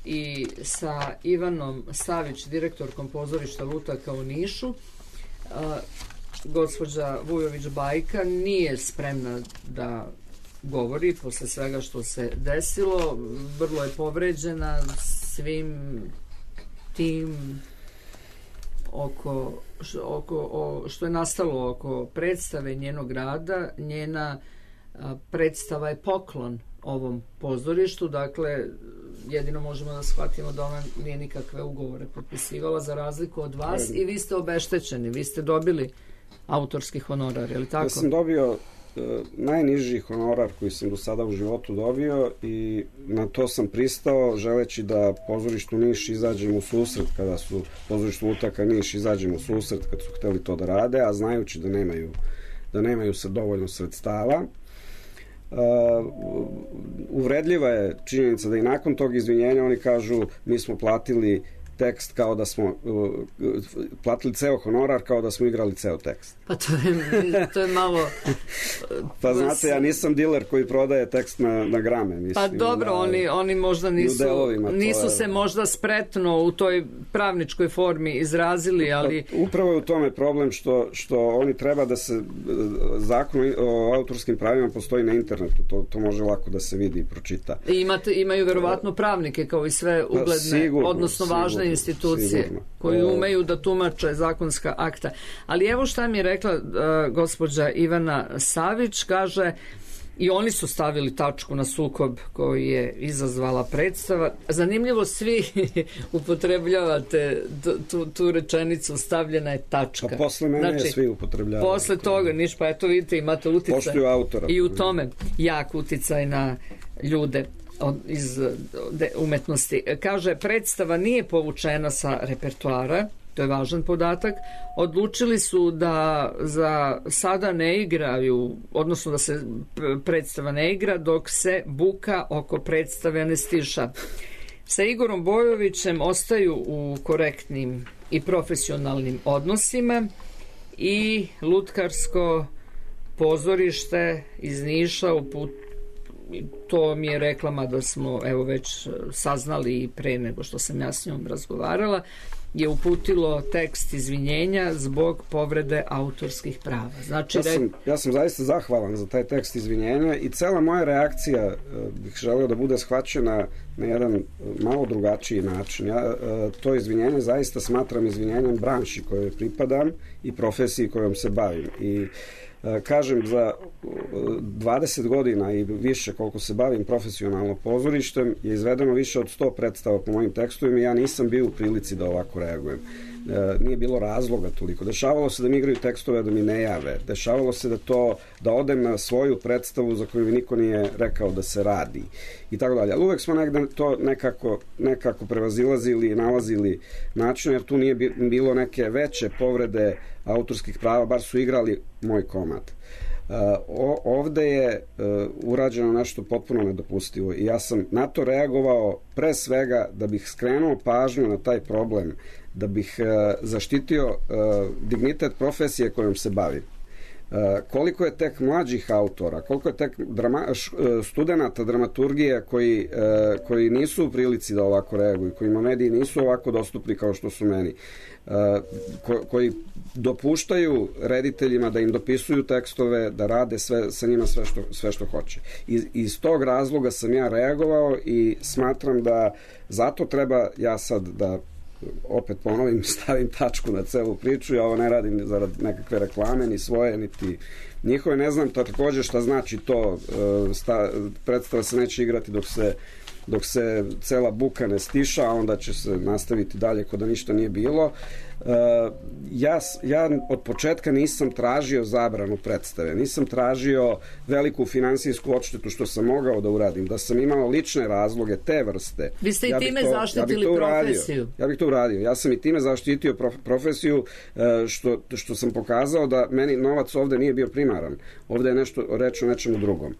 i sa Ivanom Savić, direktorkom pozorišta Lutaka u Nišu. A, gospođa Vujović Bajka nije spremna da govori posle svega što se desilo, vrlo je povređena svim tim oko, oko o, što je nastalo oko predstave njenog rada. Njena a, predstava je poklon ovom pozorištu, dakle jedino možemo da shvatimo da ona nije nikakve ugovore potpisivala za razliku od vas i vi ste obeštećeni, vi ste dobili autorski honorar, je li tako? Ja sam dobio e, najniži honorar koji sam do sada u životu dobio i na to sam pristao želeći da pozorištu Niš izađem u susret kada su pozorištu Lutaka Niš izađem u susret kad su hteli to da rade, a znajući da nemaju da nemaju se dovoljno sredstava. Uh, uvredljiva je činjenica da i nakon tog izvinjenja oni kažu mi smo platili tekst kao da smo uh, platili ceo honorar kao da smo igrali ceo tekst. Pa to je, to je malo... Pa znate, ja nisam diler koji prodaje tekst na, na grame. Mislim, pa dobro, da, oni, oni možda nisu, nisu se možda spretno u toj pravničkoj formi izrazili, ali... Pa, upravo je u tome problem što, što oni treba da se... Zakon o autorskim pravima postoji na internetu, to, to može lako da se vidi i pročita. I imate, imaju verovatno pravnike kao i sve ugledne, sigurno, odnosno važne sigurno, institucije sigurno. Koji umeju da tumače zakonska akta. Ali evo šta mi je rekla uh, gospođa Ivana Savić, kaže i oni su stavili tačku na sukob koji je izazvala predstava. Zanimljivo, svi upotrebljavate tu, tu rečenicu stavljena je tačka. Pa posle mene znači, je svi upotrebljavaju. Posle toga, niš, pa eto vidite, imate uticaj. Poštuju autora. I u tome jak uticaj na ljude iz umetnosti. Kaže, predstava nije povučena sa repertoara, to je važan podatak. Odlučili su da za sada ne igraju, odnosno da se predstava ne igra dok se buka oko predstave ne stiša. Sa Igorom Bojovićem ostaju u korektnim i profesionalnim odnosima i lutkarsko pozorište iz Niša uput to mi je reklama da smo evo već saznali i pre nego što sam ja s njom razgovarala, je uputilo tekst izvinjenja zbog povrede autorskih prava. Znači, ja, sam, ja sam zaista zahvalan za taj tekst izvinjenja i cela moja reakcija bih želeo da bude shvaćena na jedan malo drugačiji način. Ja to izvinjenje zaista smatram izvinjenjem branši kojoj pripadam i profesiji kojom se bavim. I kažem, za dvadeset godina i više koliko se bavim profesionalno pozorištem je izvedeno više od sto predstava po mojim tekstovima i ja nisam bio u prilici da ovako reagujem. Nije bilo razloga toliko. Dešavalo se da mi igraju tekstove da mi ne jave. Dešavalo se da to da odem na svoju predstavu za koju mi niko nije rekao da se radi i tako dalje. Ali uvek smo negde to nekako, nekako prevazilazili i nalazili način, jer tu nije bilo neke veće povrede autorskih prava, bar su igrali moj komad. Uh, o, ovde je uh, urađeno nešto potpuno nedopustivo i ja sam na to reagovao pre svega da bih skrenuo pažnju na taj problem da bih uh, zaštitio uh, dignitet profesije kojom se bavim. Uh, koliko je tek mlađih autora, koliko je tek drama, š, uh, studenata dramaturgije koji, uh, koji nisu u prilici da ovako reaguju, kojima mediji nisu ovako dostupni kao što su meni, uh, ko, koji dopuštaju rediteljima da im dopisuju tekstove, da rade sve, sa njima sve što, sve što hoće. I, iz tog razloga sam ja reagovao i smatram da zato treba ja sad da opet ponovim, stavim tačku na celu priču. Ja ovo ne radim zarad nekakve reklame, ni svoje, niti njihove. Ne znam takođe šta znači to. Sta, predstava se neće igrati dok se dok se cela buka ne stiša, a onda će se nastaviti dalje kao da ništa nije bilo. Ja, ja od početka nisam tražio zabranu predstave, nisam tražio veliku finansijsku odštetu što sam mogao da uradim, da sam imao lične razloge te vrste. Vi ste i ja time to, zaštitili ja profesiju. Ja bih to uradio. Ja sam i time zaštitio prof, profesiju što, što sam pokazao da meni novac ovde nije bio primaran. Ovde je nešto reč o nečemu drugom.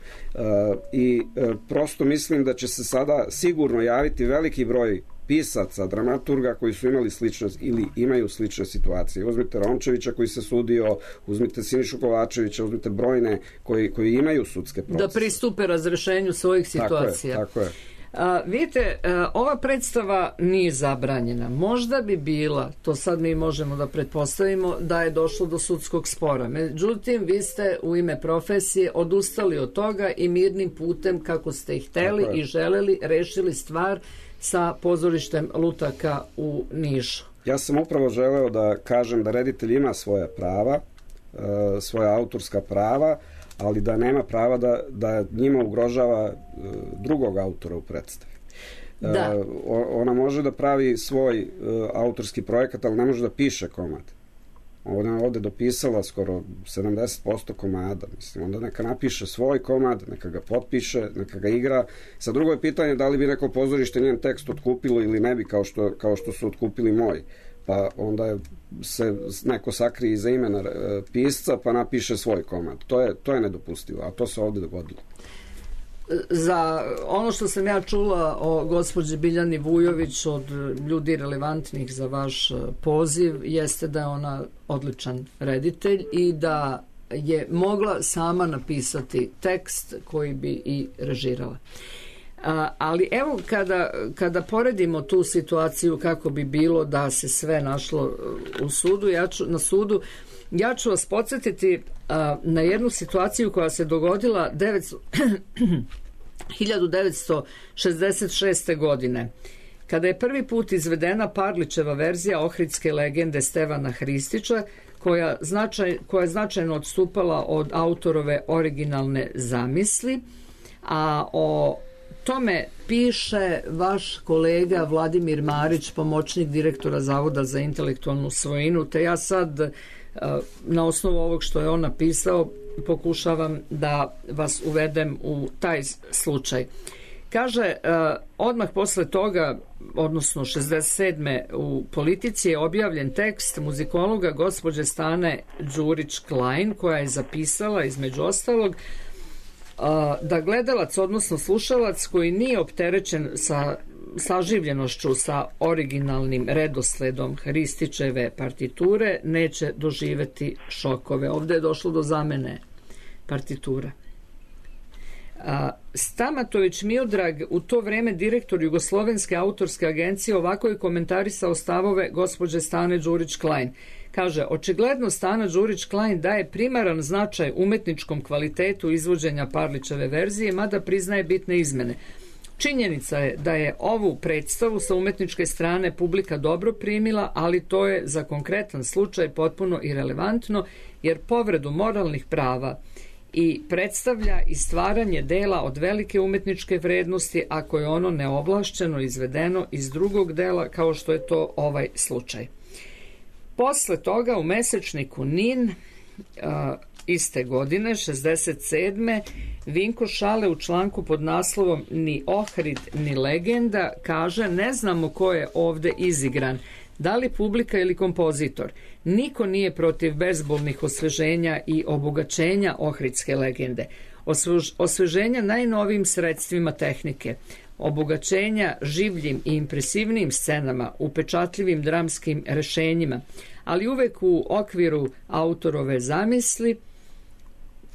I prosto mislim da će se sada sigurno javiti veliki broj pisaca, dramaturga koji su imali slične ili imaju slične situacije. Uzmite Rončevića koji se sudio, uzmite Sinišu Kovačevića, uzmite brojne koji, koji imaju sudske procese. Da pristupe razrešenju svojih situacija. Tako je, tako je. A, vidite, a, ova predstava nije zabranjena. Možda bi bila, to sad mi možemo da pretpostavimo, da je došlo do sudskog spora. Međutim, vi ste u ime profesije odustali od toga i mirnim putem, kako ste ih hteli i želeli, rešili stvar sa pozorištem Lutaka u Nišu. Ja sam upravo želeo da kažem da reditelj ima svoja prava, svoja autorska prava, ali da nema prava da, da njima ugrožava drugog autora u predstavi. Da. Ona može da pravi svoj autorski projekat, ali ne može da piše komad. Ona je ovde dopisala skoro sedamdeset posto komada. Mislim, onda neka napiše svoj komad, neka ga potpiše, neka ga igra. Sa drugo je pitanje da li bi neko pozorište njen tekst otkupilo ili ne bi, kao što, kao što su otkupili moj. Pa onda je, se neko sakrije iza imena pisca pa napiše svoj komad. To je, to je nedopustivo, a to se ovde dogodilo. Za ono što sam ja čula o gospođi Biljani Vujović od ljudi relevantnih za vaš poziv jeste da je ona odličan reditelj i da je mogla sama napisati tekst koji bi i režirala. A, ali evo kada, kada poredimo tu situaciju kako bi bilo da se sve našlo u sudu, ja ću, na sudu, ja ću vas podsjetiti a, na jednu situaciju koja se dogodila hiljadu devetsto šezdeset šeste. godine, kada je prvi put izvedena Parlićeva verzija Ohridske legende Stevana Hristića, koja, značaj, koja je značajno odstupala od autorove originalne zamisli, a o tome piše vaš kolega Vladimir Marić, pomoćnik direktora Zavoda za intelektualnu svojinu, te ja sad na osnovu ovog što je on napisao pokušavam da vas uvedem u taj slučaj. Kaže, odmah posle toga, odnosno šezdeset sedme u Politici je objavljen tekst muzikologa gospođe Stane Đurić-Klein, koja je zapisala između ostalog da gledalac, odnosno slušalac koji nije opterećen sa saživljenošću sa originalnim redosledom Hristićeve partiture neće doživeti šokove. Ovde je došlo do zamene partitura. Stamatović Miodrag, u to vreme direktor Jugoslovenske autorske agencije, ovako je komentarisao stavove gospođe Stane Đurić-Klein. Kaže, očigledno Stana Đurić-Klein daje primaran značaj umetničkom kvalitetu izvođenja Parlićeve verzije, mada priznaje bitne izmene. Činjenica je da je ovu predstavu sa umetničke strane publika dobro primila, ali to je za konkretan slučaj potpuno irelevantno, jer povredu moralnih prava i predstavlja i stvaranje dela od velike umetničke vrednosti ako je ono neovlašćeno izvedeno iz drugog dela, kao što je to ovaj slučaj. Posle toga u mesečniku Nin a, iste godine, šezdeset sedme. Vinko Šale u članku pod naslovom Ni Ohrid, ni legenda kaže, ne znamo ko je ovde izigran, da li publika ili kompozitor. Niko nije protiv bezbolnih osveženja i obogaćenja ohridske legende. Osveženja najnovijim sredstvima tehnike. obogaćenja življim i impresivnim scenama, upečatljivim dramskim rešenjima, ali uvek u okviru autorove zamisli,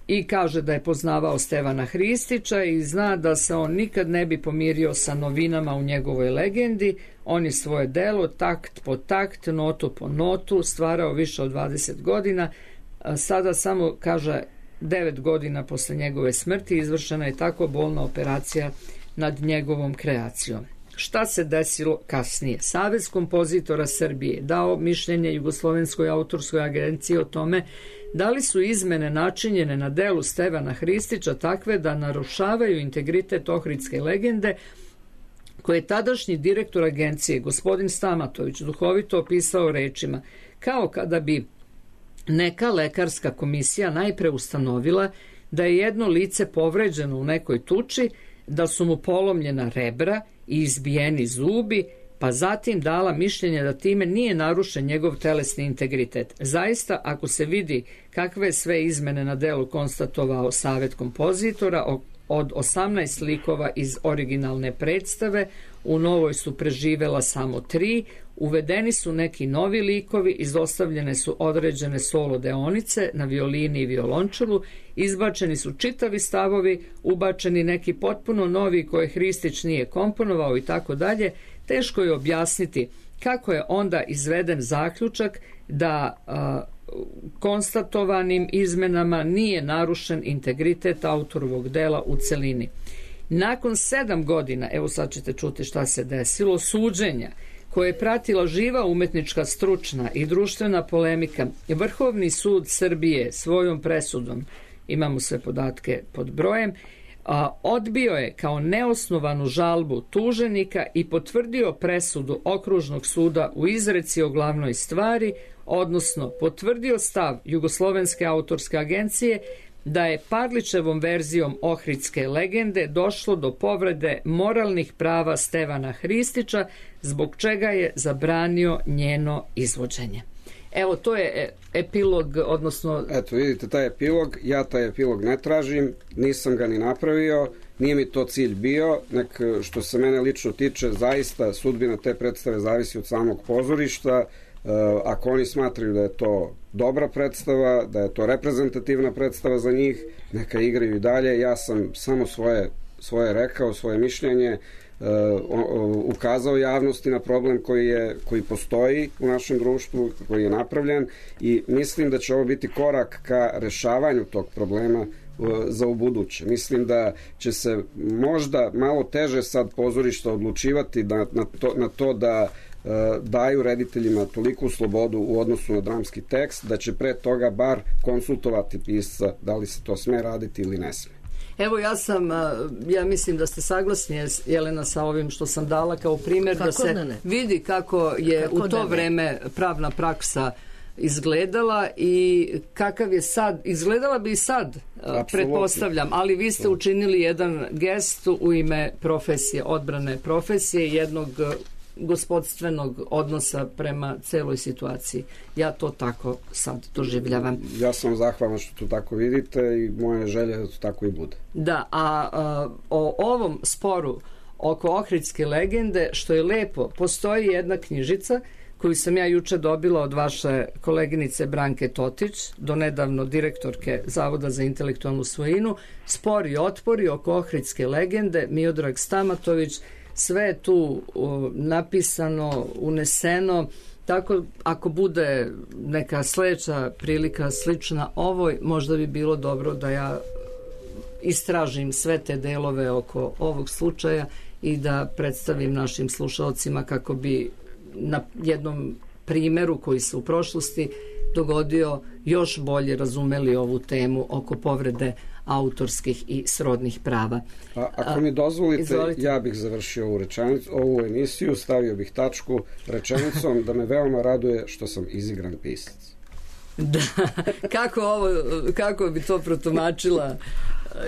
i kaže da je poznavao Stevana Hristića i zna da se on nikad ne bi pomirio sa novinama u njegovoj legendi. On je svoje delo takt po takt, notu po notu stvarao više od dvadeset godina. Sada samo, kaže, devet godina posle njegove smrti izvršena je tako bolna operacija nad njegovom kreacijom. Šta se desilo kasnije? Savez kompozitora Srbije dao mišljenje Jugoslovenskoj autorskoj agenciji o tome da li su izmene načinjene na delu Stevana Hristića takve da narušavaju integritet ohridske legende, koje je tadašnji direktor agencije, gospodin Stamatović, duhovito opisao rečima: kao kada bi neka lekarska komisija najpre ustanovila da je jedno lice povređeno u nekoj tuči, da su mu polomljena rebra i izbijeni zubi, pa zatim dala mišljenje da time nije narušen njegov telesni integritet. Zaista, ako se vidi kakve sve izmene na delu konstatovao Savet kompozitora, od osamnaest likova iz originalne predstave, u novoj su preživela samo tri, uvedeni su neki novi likovi, izostavljene su određene solo deonice na violini i violončelu, izbačeni su čitavi stavovi, ubačeni neki potpuno novi koje Hristić nije komponovao i tako dalje. Teško je objasniti kako je onda izveden zaključak da a, konstatovanim izmenama nije narušen integritet autorovog dela u celini. Nakon sedam godina, evo sad ćete čuti šta se desilo, suđenja koje je pratila živa umetnička, stručna i društvena polemika, Vrhovni sud Srbije svojom presudom, imamo sve podatke pod brojem, a, odbio je kao neosnovanu žalbu tuženika i potvrdio presudu Okružnog suda u izreci o glavnoj stvari, odnosno potvrdio stav Jugoslovenske autorske agencije da je Parlićevom verzijom ohridske legende došlo do povrede moralnih prava Stevana Hristića, zbog čega je zabranio njeno izvođenje. Evo, to je epilog, odnosno... Eto, vidite taj epilog, ja taj epilog ne tražim, nisam ga ni napravio, nije mi to cilj bio, nek što se mene lično tiče, zaista sudbina te predstave zavisi od samog pozorišta. Ako oni smatraju da je to dobra predstava, da je to reprezentativna predstava za njih, neka igraju i dalje. Ja sam samo svoje, svoje rekao, svoje mišljenje, ukazao javnosti na problem koji, je, koji postoji u našem društvu, koji je napravljen, i mislim da će ovo biti korak ka rešavanju tog problema za ubuduće. Mislim da će se možda malo teže sad pozorišta odlučivati da, na, to, na to da daju rediteljima toliku slobodu u odnosu na dramski tekst, da će pre toga bar konsultovati pisca da li se to sme raditi ili ne sme. Evo, ja sam, ja mislim da ste saglasni, Jelena, sa ovim što sam dala kao primjer, kako da se ne ne? vidi kako je kako u to ne vreme pravna praksa izgledala i kakav je sad, izgledala bi i sad, Absolutno. pretpostavljam, ali vi ste učinili jedan gest u ime profesije, odbrane profesije, jednog gospodstvenog odnosa prema celoj situaciji. Ja to tako sad doživljavam. Ja sam zahvalan što to tako vidite i moja želja da to tako i bude. Da, a, a o ovom sporu oko ohridske legende, što je lepo, postoji jedna knjižica koju sam ja juče dobila od vaše koleginice Branke Totić, donedavno direktorke Zavoda za intelektualnu svojinu, Spor i otpori oko ohridske legende, Miodrag Stamatović. Sve je tu o, napisano, uneseno, tako ako bude neka sledeća prilika slična ovoj, možda bi bilo dobro da ja istražim sve te delove oko ovog slučaja i da predstavim našim slušalcima kako bi na jednom primeru koji se u prošlosti dogodio još bolje razumeli ovu temu oko povrede autorskih i srodnih prava. A, ako mi dozvolite, Izvolite. ja bih završio ovu rečenicu, ovu emisiju, stavio bih tačku rečenicom da me veoma raduje što sam izigran pisac. Da, kako, ovo, kako bi to protumačila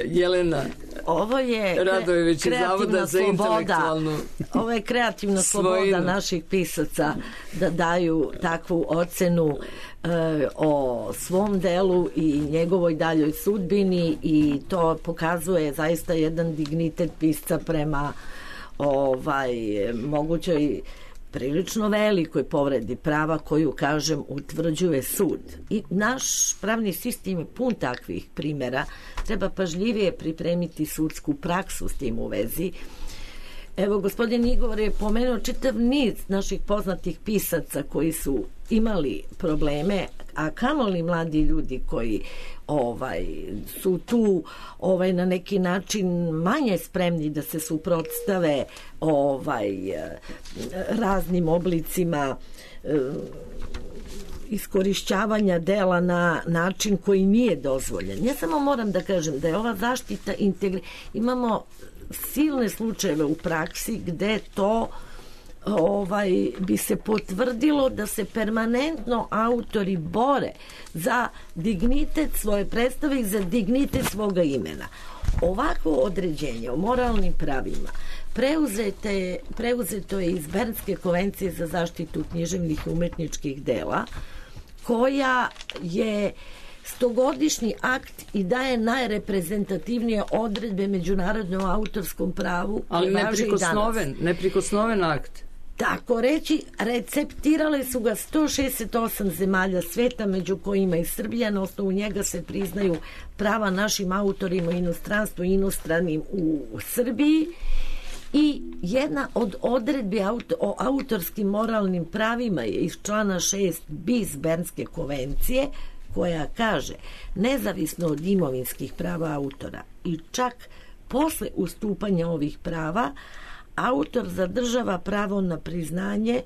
Jelena ovo je Radojević iz Zavoda za intelektualnu ovo je kreativna sloboda naših pisaca da daju takvu ocenu e, o svom delu i njegovoj daljoj sudbini, i to pokazuje zaista jedan dignitet pisca prema ovaj, mogućoj prilično velikoj povredi prava koju, kažem, utvrđuje sud. I naš pravni sistem je pun takvih primjera. Treba pažljivije pripremiti sudsku praksu s tim u vezi. Evo, gospodin Igor je pomenuo čitav niz naših poznatih pisaca koji su imali probleme, a kamoli mladi ljudi koji ovaj su tu ovaj na neki način manje spremni da se suprotstave ovaj raznim oblicima e, iskorišćavanja dela na način koji nije dozvoljen. Ja samo moram da kažem da je ova zaštita integri... Imamo silne slučajeve u praksi gde to ovaj bi se potvrdilo da se permanentno autori bore za dignitet svoje predstave i za dignitet svoga imena. Ovako određenje o moralnim pravima preuzete je, preuzeto je iz Bernske konvencije za zaštitu književnih i umetničkih dela, koja je stogodišnji akt i daje najreprezentativnije odredbe međunarodnom autorskom pravu. Ali neprikosnoven, neprikosnoven akt. Tako reći, receptirale su ga sto šezdeset osam zemalja sveta, među kojima i Srbija. Na osnovu njega se priznaju prava našim autorima u inostranstvu i inostranim u Srbiji. I jedna od odredbi auto, o autorskim moralnim pravima je iz člana šest bis Bernske konvencije, koja kaže, nezavisno od imovinskih prava autora i čak posle ustupanja ovih prava, autor zadržava pravo na priznanje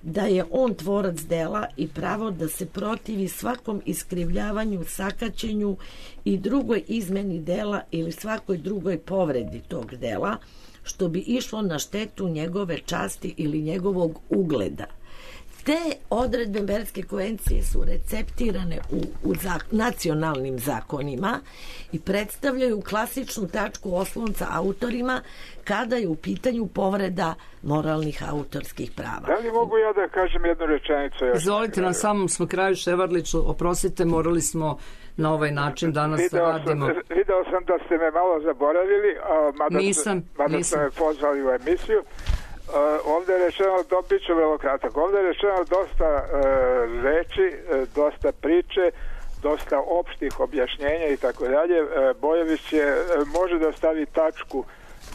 da je on tvorac dela i pravo da se protivi svakom iskrivljavanju, sakaćenju i drugoj izmeni dela ili svakoj drugoj povredi tog dela, što bi išlo na štetu njegove časti ili njegovog ugleda. Te odredbe Bernske konvencije su receptirane u, u zak, nacionalnim zakonima i predstavljaju klasičnu tačku oslonca autorima kada je u pitanju povreda moralnih autorskih prava. Da li mogu ja da kažem jednu rečenicu? Izvolite, na samom smo kraju, Ševarliću, oprostite, morali smo na ovaj način danas video da radimo. Sam, video sam da ste me malo zaboravili, a, mada, nisam, mada nisam. ste me pozvali u emisiju. Uh, ovdje je rečeno, do, bit ću vrlo kratak, ovdje je rečeno dosta uh, reči, uh, dosta priče, dosta opštih objašnjenja i tako dalje. Bojović je, uh, može da stavi tačku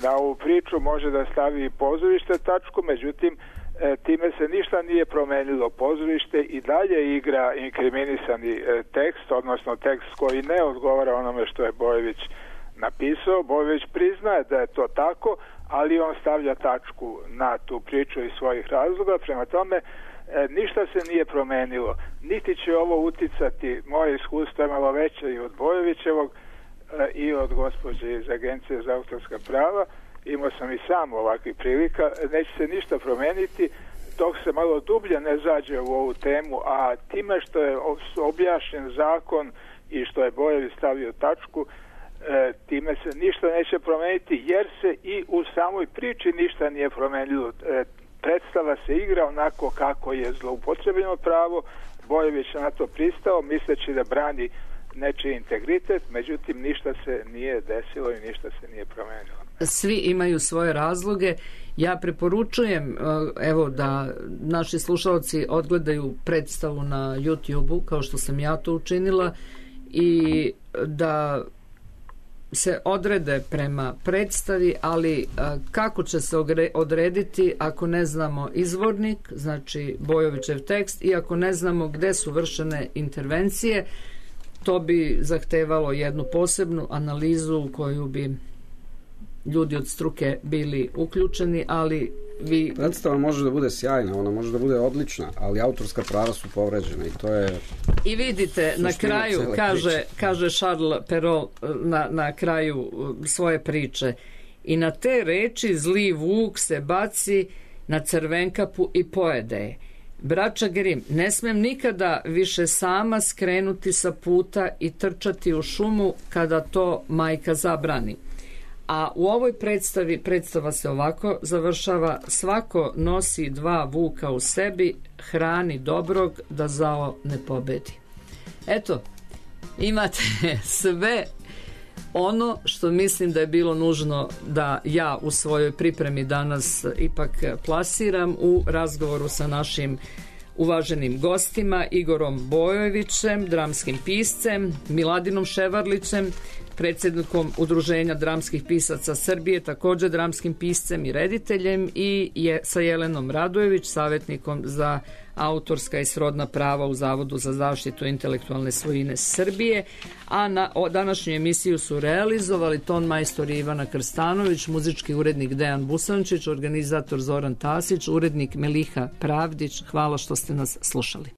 na ovu priču, može da stavi pozorište tačku, međutim uh, time se ništa nije promenilo. Pozorište i dalje igra inkriminisani uh, tekst, odnosno tekst koji ne odgovara onome što je Bojović napisao. Bojović priznaje da je to tako, ali on stavlja tačku na tu priču iz svojih razloga. Prema tome, e, ništa se nije promenilo. Niti će ovo uticati, moje iskustvo je malo veće i od Bojovićevog e, i od gospođe iz Agencije za autorska prava. Imao sam i sam ovakvih prilika. Neće se ništa promeniti dok se malo dublje ne zađe u ovu temu, a time što je objašnjen zakon i što je Bojović stavio tačku, E, time se ništa neće promeniti, jer se i u samoj priči ništa nije promenilo. E, predstava se igra onako kako je zloupotrebljeno pravo. Bojović je na to pristao, misleći da brani nečiji integritet, međutim ništa se nije desilo i ništa se nije promenilo. Svi imaju svoje razloge. Ja preporučujem evo da naši slušalci odgledaju predstavu na YouTubeu, kao što sam ja to učinila, i da se odrede prema predstavi, ali kako će se odrediti ako ne znamo izvornik, znači Bojovićev tekst, i ako ne znamo gde su vršene intervencije, to bi zahtevalo jednu posebnu analizu u koju bi ljudi od struke bili uključeni, ali vi... Predstava može da bude sjajna, ona može da bude odlična, ali autorska prava su povređena i to je... I vidite, na kraju, kaže, kaže Charles Perrault na, na kraju svoje priče, i na te reči zli vuk se baci na Crvenkapu i pojede je. Braća Grim, ne smem nikada više sama skrenuti sa puta i trčati u šumu kada to majka zabrani. A u ovoj predstavi, predstava se ovako završava: svako nosi dva vuka u sebi, hrani dobrog da zao ne pobedi. Eto, imate sve Ono što mislim da je bilo nužno da ja u svojoj pripremi danas ipak plasiram u razgovoru sa našim uvaženim gostima, Igorom Bojovićem, dramskim piscem, Miladinom Ševarlićem, predsjednikom Udruženja dramskih pisaca Srbije, također dramskim piscem i rediteljem, i je sa Jelenom Radojević, savjetnikom za autorska i srodna prava u Zavodu za zaštitu intelektualne svojine Srbije. A na o, današnju emisiju su realizovali ton majstor Ivana Krstanović, muzički urednik Dejan Busančić, organizator Zoran Tasić, urednik Meliha Pravdić. Hvala što ste nas slušali.